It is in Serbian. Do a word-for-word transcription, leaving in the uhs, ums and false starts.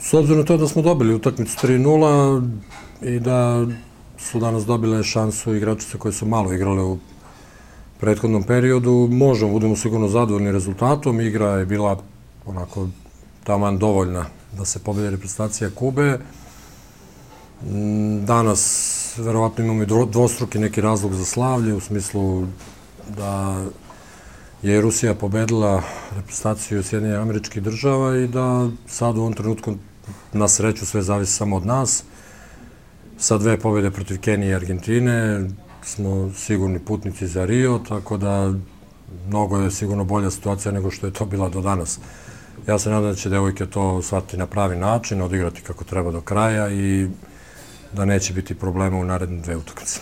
S obzirom na to da smo dobili utakmicu tri nula i da su danas dobile šansu igračice koje su malo igrale u prethodnom periodu, možemo, budemo sigurno zadovoljni rezultatom. Igra je bila onako taman dovoljna da se pobedi reprezentacija Kube. Danas verovatno imamo i dvostruki neki razlog za slavlje, u smislu da je Rusija pobedila reprezentaciju Sjedinjenih Američkih Država i da sad u ovom trenutku na sreću sve zavisi samo od nas. Sa dve pobjede protiv Kenije i Argentine smo sigurni putnici za Rio, tako da mnogo je sigurno bolja situacija nego što je to bila do danas. Ja se nadam da će devojke to shvatiti na pravi način, odigrati kako treba do kraja i da neće biti problema u naredne dve utakmice.